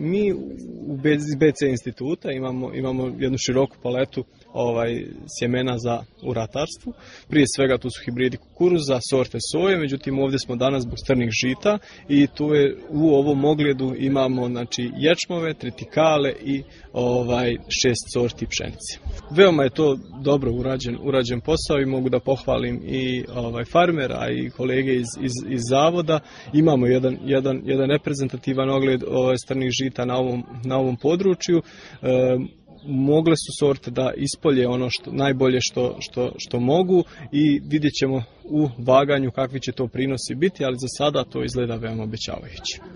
Mi iz BC instituta imamo jednu široku paletu sjemena u ratarstvu. Prije svega tu su hibridi kukuruza, sorte soje, međutim ovdje smo danas zbog strnih žita i tu je u ovom ogledu imamo ječmove, tritikale i 6 sorti pšenice. Veoma je to dobro urađen posao i mogu da pohvalim i farmera i kolege iz zavoda. Imamo jedan reprezentativan ogled strnih žita na ovom području. Mogle su sorte da ispolje ono najbolje što mogu i vidjet ćemo u vaganju kakvi će to prinosi biti, ali za sada to izgleda veoma obećavajuće.